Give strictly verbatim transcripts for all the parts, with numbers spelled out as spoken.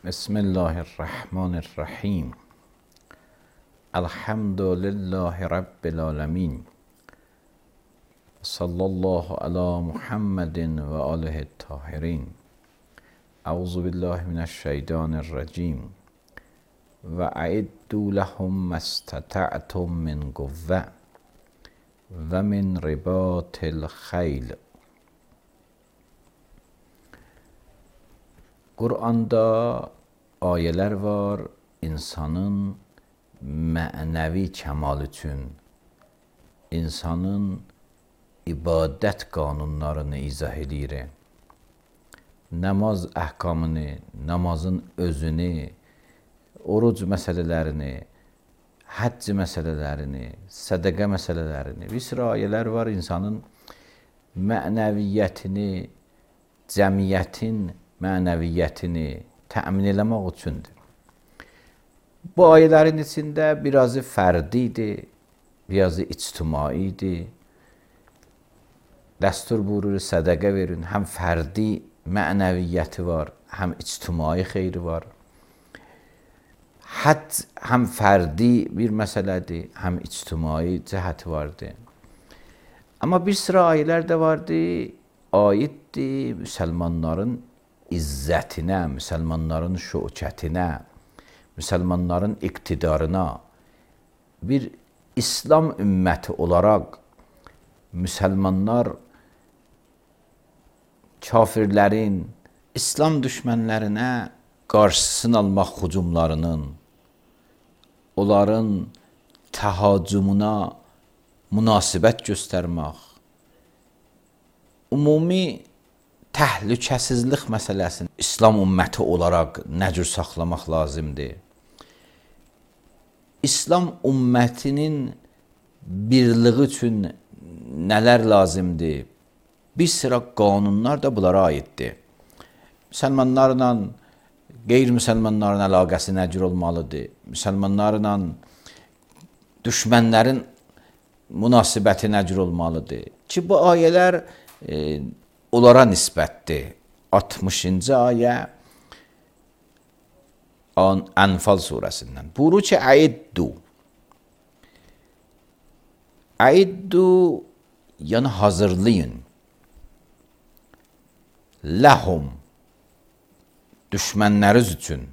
Bismillahirrahmanirrahim. Elhamdülillahi Rabbil alemin. Sallallahu ala Muhammedin ve alihi tahirin. Euzu billahi mineşşeytanirracim. Ve aiddu lehum mastata'tum min kuvve ve min ribatil khayl. Qur'anda ayələr var insanın mənəvi kəmal üçün, insanın ibadət qanunlarını izah edir. Namaz əhkamını, namazın özünü, oruc məsələlərini, həcc məsələlərini, sədəqə məsələlərini, bir sıra ayələr var insanın mənəviyyətini, cəmiyyətin mənəviyyətini təmin eləmək üçündür. Bu ayələrin içində birazı fərdidir, birazı ictimaidir. Dəstur buyurur, sədəqə verin. Həm fərdi mənəviyyəti var, həm ictimai xeyri var. Həcc həm fərdi bir məsələdir, həm ictimai cəhəti vardır. Amma bir sıra ayələr də vardır, aiddir müsəlmanların izzətinə, müsəlmanların şökətinə, müsəlmanların iqtidarına, bir İslam ümməti olaraq müsəlmanlar kafirlərin, İslam düşmənlərinə qarşısını almaq hücumlarının, onların təhacümünə münasibət göstərmək, ümumi təhlükəsizlik məsələsini İslam ümməti olaraq nə cür saxlamaq lazımdır? İslam ümmətinin birliyi üçün nələr lazımdır? Bir sıra qanunlar da bunlara aiddir. Müsəlmanlarla qeyri-müsəlmanların əlaqəsi nə cür olmalıdır? Müsəlmanlarla düşmənlərin münasibəti nə cür olmalıdır? Ki, bu ayələr e, onlara nisbətdir. altmışıncı ayə Ənfal surəsindən. Buyurur ki, əiddu. Əiddu, yəni hazırlayın. Ləhum, düşmənləriz üçün.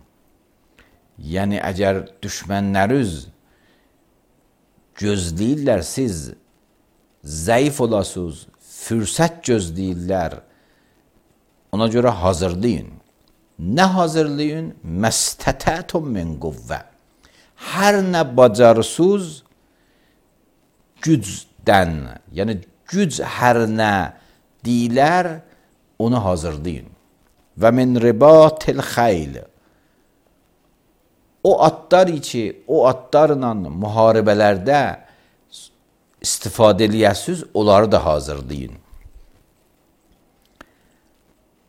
Yəni, əgər düşmənləriz gözləyirlər, siz zəif olasınız, fürsət gözləyirlər, ona görə hazırlayın. Nə hazırlayın? Məstətətum min quvvə. Hər nə bacarısız gücdən, yəni güc hər nə deyilər, onu hazırlayın. Və min ribatil xayl. O atlar ki, o atlarla müharibələrdə istifadə eləyəsiz, onları da hazırlayın.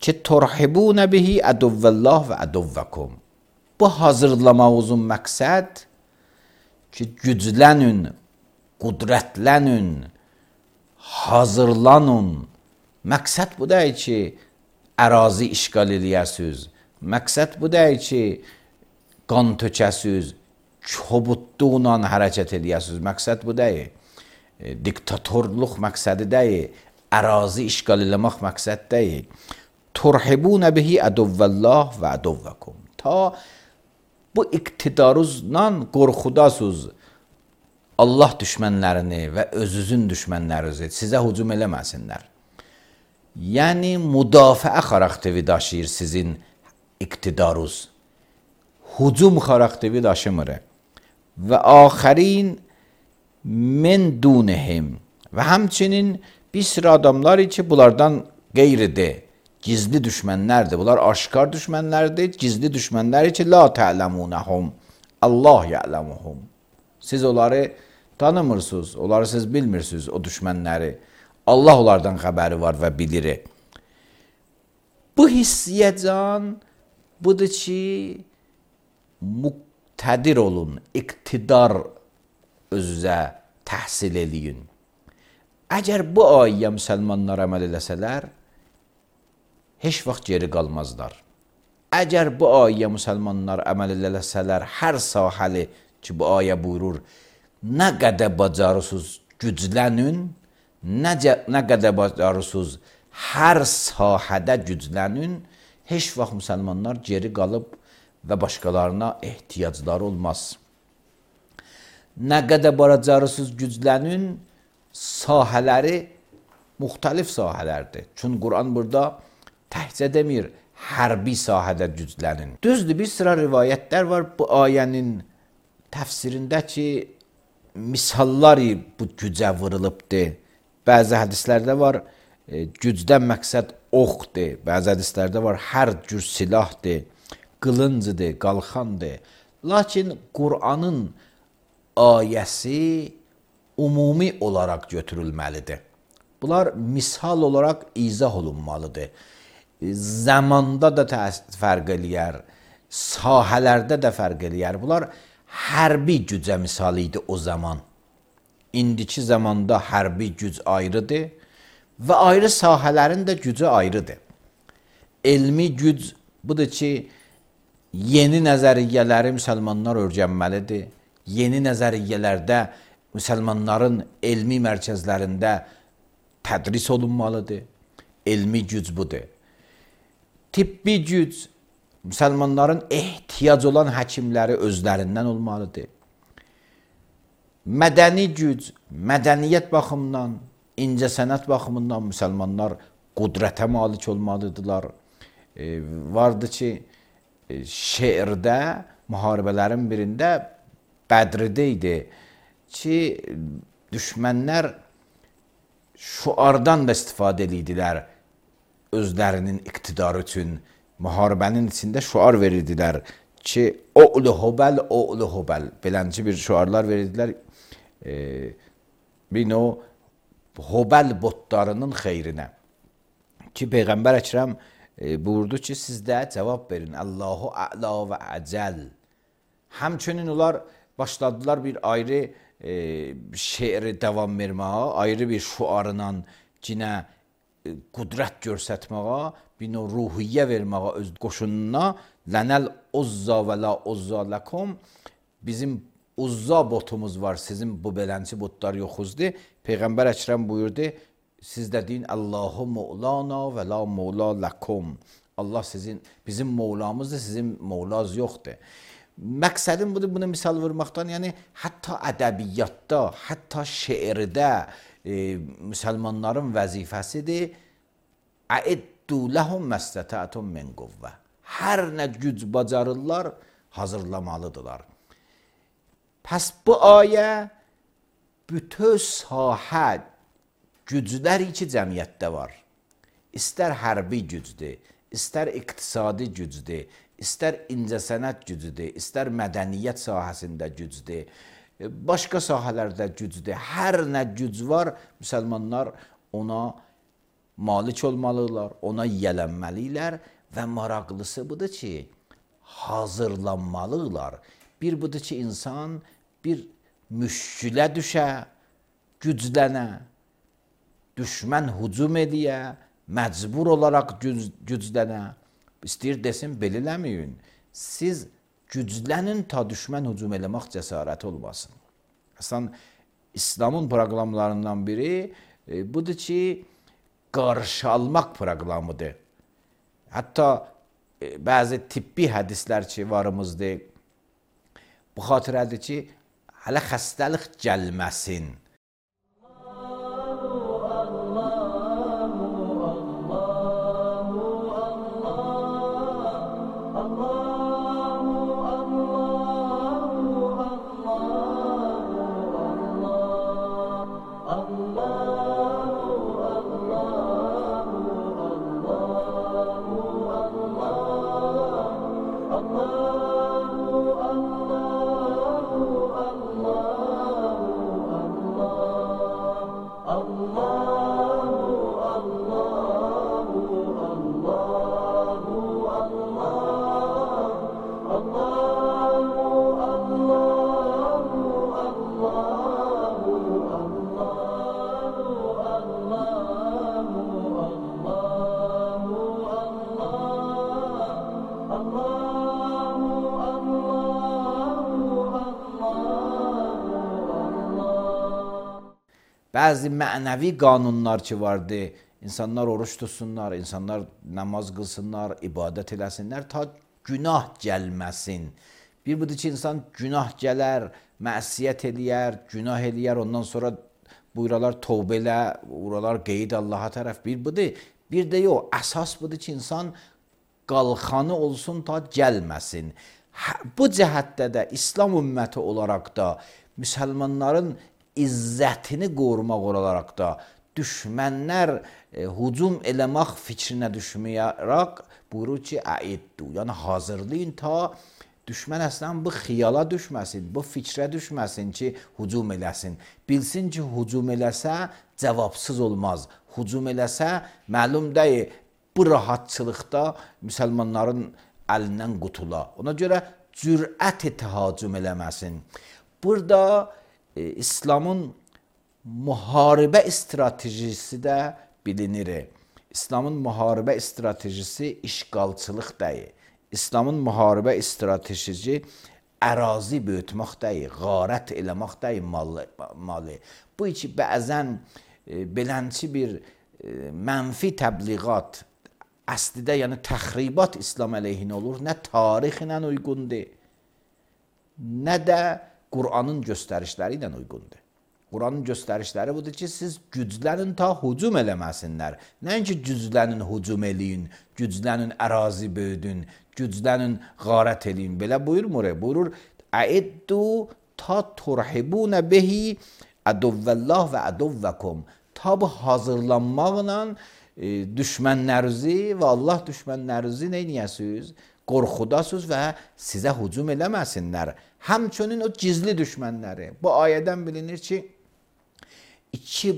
Ki, turhibunə bihi əduvvəllah və əduvvəkum. Bu hazırlamağızın məqsəd ki, güclənün, qudrətlənün, hazırlanın. Məqsəd bu deyil ki, ərazi işgal eləyəsiz. Məqsəd bu deyil ki, qan tökəsiz, kobudluqla hərəkət eləyəsiz. Məqsəd bu deyil. Diktatorluq məqsədi deyil. Ərazi işgal eləmək məqsəd deyil. Turhibunə bihi əduvvəllah və əduvvəkum. Ta bu iqtidarınızla qorxudasınız Allah düşmənlərini və özünüzün düşmənlərinizi sizə hücum eləməsinlər. Yəni, müdafiə xarakteri daşıyır sizin iqtidarınız. Hücum xarakteri daşımır. Və axərin min dunihim. Və həmçinin bir sıra adamlar ki, bunlardan qeyridir. Gizli düşmənlərdir. Bunlar aşkar düşmənlərdir. Gizli düşmənlər ki, la tə'ləmunəhum. Allah ya'ləmuhum. Siz onları tanımırsınız. Onları siz bilmirsiniz, o düşmənləri. Allah onlardan xəbəri var və bilir. Bu hissiyəcan budur ki, muqtədir olun, iqtidar özünüzə təhsil eləyin. Əgər bu ayəyə müsəlmanlar əməl eləsələr, heç vaxt geri qalmazlar. Əgər bu ayəyə müsəlmanlar əməl eləsələr, hər sahəli ki, bu ayə buyurur, nə qədər bacarırsınız güclənin, nə, nə qədər bacarırsınız hər sahədə güclənin, heç vaxt müsəlmanlar geri qalıb və başqalarına ehtiyacları olmaz. Nə qədər bacarırsınız güclənin, sahələri müxtəlif sahələrdir. Çünki Quran burada təhcə demir, hərbi sahədə güclənin. Düzdür, bir sıra rivayətlər var bu ayənin təfsirində ki, misallar bu gücə vurulubdur. Bəzi hədislərdə var, e, gücdən məqsəd oxdur. Bəzi hədislərdə var, hər cür silahdır, qılıncıdır, qalxandır. Lakin Quranın ayəsi ümumi olaraq götürülməlidir. Bunlar misal olaraq izah olunmalıdır. Zamanda da fərq eləyər, sahələrdə də fərq eləyər. Bunlar hərbi gücə misal idi o zaman. İndiki zamanda hərbi güc ayrıdır və ayrı sahələrin də gücü ayrıdır. Elmi güc budur ki, yeni nəzəriyyələri müsəlmanlar öyrənməlidir. Yeni nəzəriyyələrdə müsəlmanların elmi mərkəzlərində tədris olunmalıdır. Elmi güc budur. Tibbi güc, müsəlmanların ehtiyac olan həkimləri özlərindən olmalıdır. Mədəni güc, mədəniyyət baxımından, incəsənət baxımından müsəlmanlar qudrətə malik olmalıdırlar. E, vardı ki, e, şeirdə, müharibələrin birində Bədirdə idi ki, düşmənlər şuardan da istifadə edirdilər özlərinin iqtidarı üçün. Müharibənin içində şuar verirdilər ki, o'lu hubəl, o'lu hubəl. Belənci bir şuarlar verirdilər. E, bir o hubəl botlarının xeyrinə. Ki, Peyğəmbər Əkrəm e, buyurdu ki, siz də cavab verin. Allahu a'la və əcəl. Həmçinin onlar başladılar bir ayrı e, şeiri davam verməyə, ayrı bir şuarla cinə e, qudrət görsətməyə, bir növ ruhiyyə verməyə öz qoşununa. Lənəl uzza və la uzza ləkum. Bizim uzza botumuz var, sizin bu belənci botlar yoxuzdur. Peyğəmbər Əkrəm buyurdu, siz də deyin, Allahu Mevlana və la Mevla ləkum. Allah sizin, bizim Mevlamızdır, sizin Mevlaz yoxdur. Məqsədim budur, bunu misal vurmaqdan, yəni hətta ədəbiyyatda, hətta şeirdə e, müsəlmanların vəzifəsidir. Əiddu ləhum məstətətum min quvvə. Hər nə güc bacarırlar, hazırlamalıdırlar. Pəs bu ayə bütün sahə güclər iki cəmiyyətdə var. İstər hərbi gücdür, istər iqtisadi gücdür, istər incəsənət gücüdür, istər mədəniyyət sahəsində gücdür, başqa sahələrdə gücdür. Hər nə güc var, müsəlmanlar ona malik olmalıdırlar, ona yiyələnməlidirlər və maraqlısı budur ki, hazırlanmalıdırlar. Bir budur ki, insan bir müşkülə düşə, güclənə, düşmən hücum ediyə, məcbur olaraq güc güclənə. İstəyir desin, belə eləməyin. Siz güclənin ta düşmən hücum eləmək cəsarəti olmasın. Əslən, İslamın proqramlarından biri e, budur ki, qarşı almaq proqramıdır. Hətta e, bəzi tibbi hədislər ki, varımızdır. Bu xatirədir ki, hələ xəstəlik gəlməsin. Bəzi mənəvi qanunlar ki vardı. İnsanlar oruç tutsunlar, insanlar namaz qılsınlar, ibadət eləsinlər ta günah gəlməsin. Bir budur ki, insan günah gələr, məsiyyət eləyər, günah eləyər, ondan sonra buyuralar tövbə elə, buralar qeyd Allaha tərəf. Bir budur. Bir də yox, əsas budur ki, insan qalxanı olsun ta gəlməsin. Bu cəhətdə də İslam ümməti olaraq da müsəlmanların izzətini qorumaq olaraq da düşmənlər e, hücum eləmək fikrinə düşməyərək buyurur ki, əiddu, yəni hazırlayın ta düşmən əslən bu xiyala düşməsin, bu fikrə düşməsin ki, hücum eləsin. Bilsin ki, hücum eləsə cavabsız olmaz. Hücum eləsə məlum deyil, bu rahatçılıqda müsəlmanların əlindən qutula. Ona görə cürət təhacüm eləməsin. Burada e, İslamın müharibə stratejisi də bilinir. İslamın müharibə stratejisi işğalçılıq deyil. İslamın müharibə stratejisi ərazi böyütmək deyil, qarət eləmək deyil malı. Bu iki bəzən e, belənçi bir e, mənfi təbliğat, əslidə yəni təxribat İslam əleyhinə olur, nə tarixlə uyğundur, nə də Qur'anın göstərişləri ilə uyğundur. Qur'anın göstərişləri budur ki, siz güclənin ta hücum eləməsinlər. Nəinki güclənin hücum eləyin, güclənin ərazi böyüdün, güclənin qarət eləyin. Belə buyurmur, buyurur, əiddu ta turhibunə behi əduvvəllah və əduvvəkum. Ta bu hazırlanmaqla e, düşmənlərinizi və Allah düşmənlərinizi neyniyəsiniz? Qorxudasınız və sizə hücum eləməsinlər. Həmçinin o gizli düşmənləri. Bu ayədən bilinir ki, iki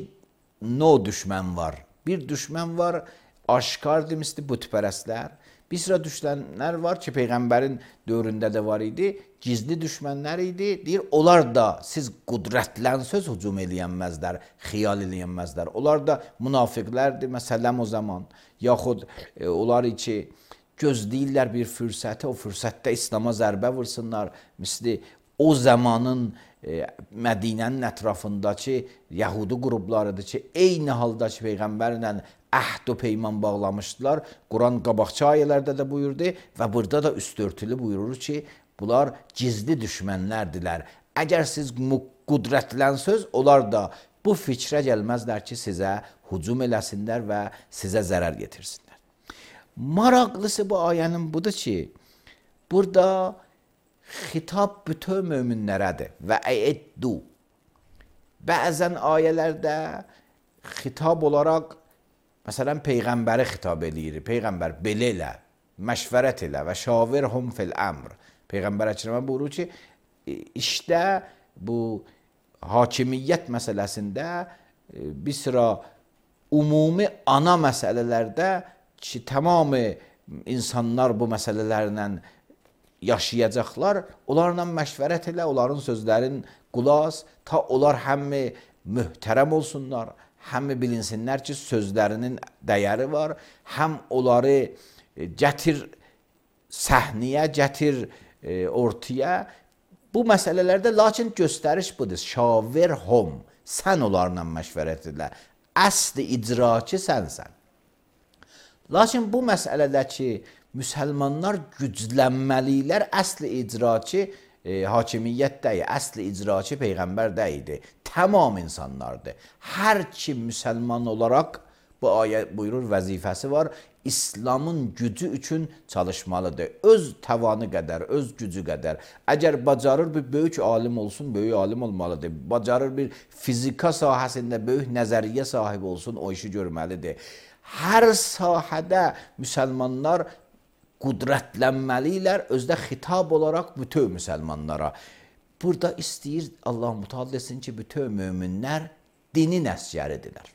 növ düşmən var. Bir düşmən var, aşkar demişdi, bütpərəstlər. Bir sıra düşmənlər var ki, Peyğəmbərin dövründə də var idi. Gizli düşmənlər idi. Deyir, onlar da siz qudrətlənsöz hücum eləyənməzlər, xiyal eləyənməzlər. Onlar da münafiqlərdir, məsələn o zaman. Yaxud e, onlar ki, gözləyirlər bir fürsəti, o fürsətdə İslama zərbə vursunlar. Misli o zamanın e, Mədinənin ətrafındakı Yəhudi qruplarıdır ki, eyni halda ki, Peyğəmbərlə əhd-u peyman bağlamışdılar. Quran qabaqçı ayələrdə də buyurdu və burada da üstörtülü buyurur ki, bunlar gizli düşmənlərdilər. Əgər siz qudrətlənsöz, onlar da bu fikrə gəlməzlər ki, sizə hücum eləsinlər və sizə zərər yetirsinlər. Maraqlısı bu ayənin budur ki, burada xitab bütün möminlərədir və əiddu. Bəzən ayələrdə xitab olaraq, məsələn, Peyğəmbəri xitab eləyir. Peyğəmbər, belə elə, məşvərət elə və şavirhum fil əmr. Peyğəmbər əkrəmə buyurur ki, işdə bu hakimiyyət məsələsində bir sıra ümumi ana məsələlərdə ki, tamamı insanlar bu məsələlərlə yaşayacaqlar, onlarla məşvərət elə, onların sözlərin qulaq, ta onlar həmmi möhtərəm olsunlar, həmmi bilinsinlər ki, sözlərinin dəyəri var, həm onları gətir səhniyə, gətir e, ortaya. Bu məsələlərdə lakin göstəriş budur, şavirhum, sən onlarla məşvərət elə, əsli icraçı sənsən. Lakin bu məsələdə ki, müsəlmanlar güclənməliklər, əsli icraçı e, hakimiyyət deyil, əsli icraçı Peyğəmbər deyildi. Tamam insanlardır. Hər kim müsəlman olaraq, bu ayə buyurur, vəzifəsi var, İslamın gücü üçün çalışmalıdır. Öz tavanı qədər, öz gücü qədər. Əgər bacarır bir böyük alim olsun, böyük alim olmalıdır. Bacarır bir fizika sahəsində böyük nəzəriyyə sahibi olsun, o işi görməlidir. Hər sahədə müsəlmanlar qudrətlənməliklər, özdə xitab olaraq bütün müsəlmanlara. Burada istəyir Allah mütəala desin ki, bütün möminlər dinin əsgəridirlər.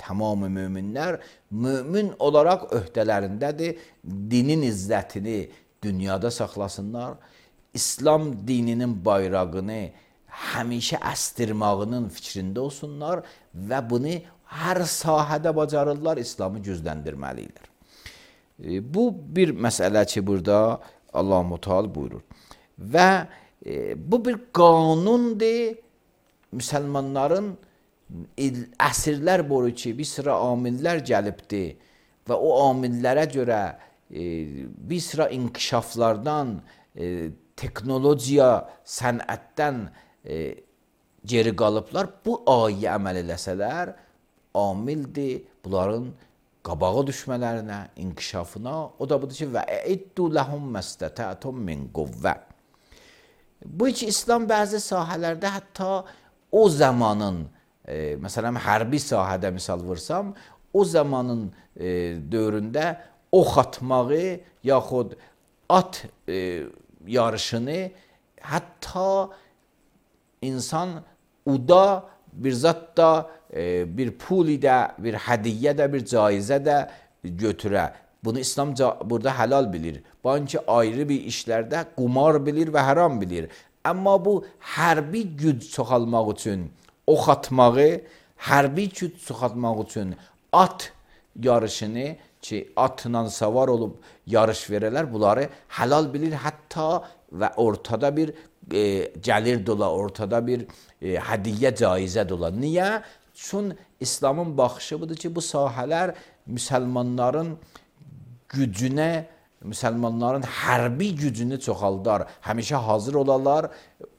Tamamı möminlər mömin olaraq öhdələrindədir, dinin izzətini dünyada saxlasınlar, İslam dininin bayrağını həmişə əstirmağının fikrində olsunlar və bunu hər sahədə bacarırlar, İslamı gücləndirməlidirlər. E, bu bir məsələ ki, burada Allah-u Teala buyurur. Və e, bu bir qanundur müsəlmanların il, əsrlər boyu ki, bir sıra amillər gəlibdi və o amillərə görə e, bir sıra inkişaflardan, e, teknologiya, sənətdən e, geri qalıblar. Bu ayə əməl eləsələr, amildir bunların qabağa düşmələrinə, inkişafına. O da budur ki, və eiddu ləhum məstətətum min quvvə. Bu ki, İslam bəzi sahələrdə hətta o zamanın, e, məsələn, hərbi sahədə misal vursam, o zamanın e, dövründə ox atmağı, yaxud at e, yarışını, hətta insan uda bir zat da, e, bir puli də, bir hədiyyə də, bir caizə də götürə. Bunu İslam burada helal bilir. Banki ayrı bir işlərdə qumar bilir və haram bilir. Amma bu hərbi güc çoxalmaq üçün ox atmağı, hərbi güc çoxalmaq üçün at yarışını ki, atla savar olub yarış verələr, bunları helal bilir. Hətta və ortada bir e, gəlir dola, ortada bir e, hədiyyə caizə dola. Niyə? Çünki İslamın baxışı budur ki, bu sahələr müsəlmanların gücünə, müsəlmanların hərbi gücünü çoxaldar, həmişə hazır olarlar.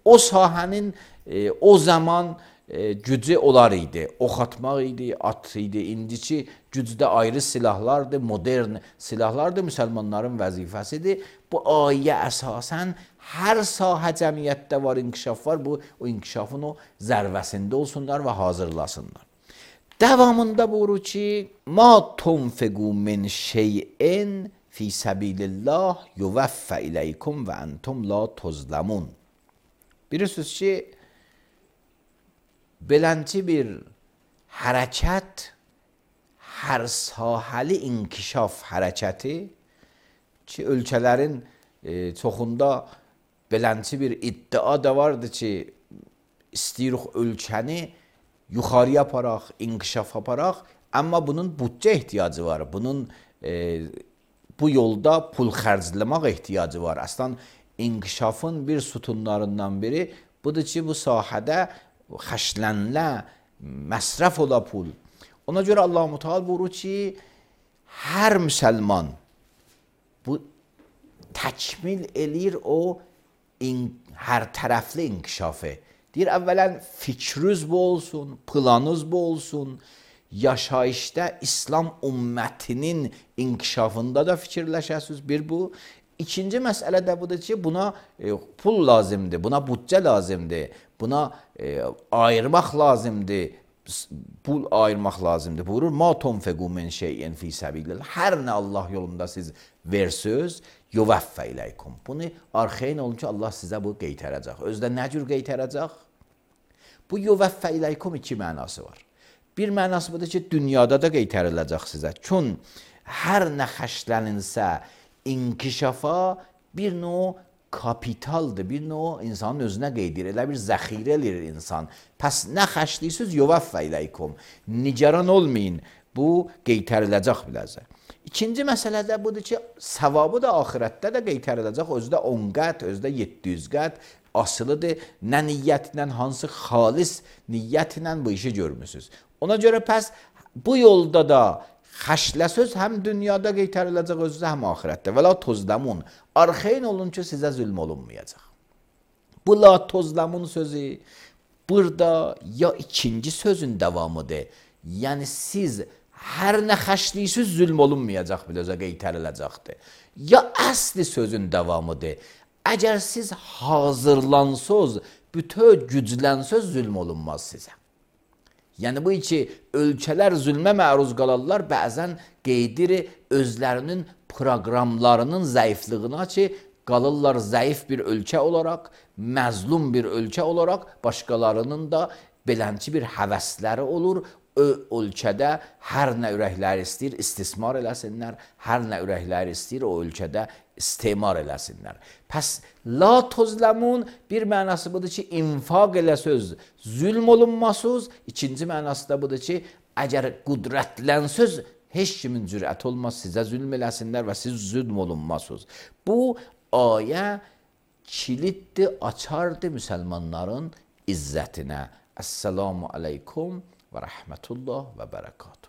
O sahənin e, o zaman e, gücü olar idi. Ox atmaq idi, at idi. İndiki gücdə ayrı silahlardır, modern silahlardır, müsəlmanların vəzifəsidir. Bu ayə əsasən hər sahə cəmiyyətdə var, inkişaf var. Bu o inkişafın o zərvəsində olsunlar və hazırlasınlar. Devamında buyurur ki, ma tunfiqu min şey'in fi sabilillah yuvaffa ileykum ve entum la tuzlamun. Bilirsiniz ki, beləncə bir hərəkət, hər sahəli inkişaf hərəkəti ki, ölkələrin e, çoxunda beləncə bir iddia da vardı ki, istəyirik ölkəni yuxarıya aparaq, inkişaf aparaq, amma bunun büdcə ehtiyacı var. Bunun e, bu yolda pul xərcləmək ehtiyacı var. Əslən, inkişafın bir sütunlarından biri budur ki, bu sahədə xərclənlə, məsrəf ola pul. Ona görə Allah-u Teala buyurur ki, hər müsəlman bu təkmil eləyir o in, hər tərəfli inkişafı. Deyir, əvvələn fikriniz bu olsun, planınız bu olsun, yaşayışda İslam ümmətinin inkişafında da fikirləşəsiniz, bir bu. İkinci məsələ də budur ki, buna e, pul lazımdır, buna büdcə lazımdır, buna e, ayırmaq lazımdır, pul ayırmaq lazımdır. Buyurur, ma tunfiqu min şey'in fi sabilillah. Hər nə Allah yolunda siz versiniz, yuvaffa ileykum. Bunu arxayın olun ki, Allah sizə bu qeytərəcək. Özdə nə cür qeytərəcək? Bu yuvaffa ileykum iki mənası var. Bir mənası budur ki, dünyada da qeytəriləcək sizə. Çün hər nə xərclənilsə inkişafa bir növ kapitaldır, bir növ insanın özünə qeydir, elə bir zəxirə eləyir insan. Pəs nə xərcləyirsiz, yuvaffa ileykum. Nigaran olmayın, bu qeytəriləcək biləcək. İkinci məsələ də budur ki, savabı da axirətdə də qeytəriləcək, özdə on qət, özdə yeddi yüz qət asılıdır. Nə niyyətlə, hansı xalis niyyətlə bu işi görmüsünüz. Ona görə pəs bu yolda da xərcləsöz həm dünyada qeytəriləcək özünüzə, həm axirətdə. Və la tozlamun, arxayın olun ki, sizə zülm olunmayacaq. Bu la tozlamun sözü burada ya ikinci sözün davamıdır. Yəni siz hər nə xərcləyirsiz zülm olunmayacaq, biləcə qeytəriləcəkdir. Ya əsli sözün davamıdır. Əgər siz hazırlansız, bütöv güclənsöz zülm olunmaz sizə. Yəni bu iki ölkələr zülmə məruz qalarlar, bəzən qeydir özlərinin proqramlarının zəifliyina ki, qalırlar zəif bir ölkə olaraq, məzlum bir ölkə olaraq, başqalarının da belənçi bir həvəsləri olur. O ölkədə hər nə ürəkləri istəyir, istismar eləsinlər, hər nə ürəkləri istəyir, o ölkədə istemar eləsinlər. Pəs, la tozlamun bir mənası budur ki, infaq eləsöz, zülm olunmasız. İkinci mənası da budur ki, əgər qudrətlənsöz, heç kimin cürət olmaz, sizə zülm eləsinlər və siz zülm olunmasız. Bu ayə kiliddir, açardır müsəlmanların izzətinə. Əssalamu aleykum və rəhmətullah və bərəkatuhu.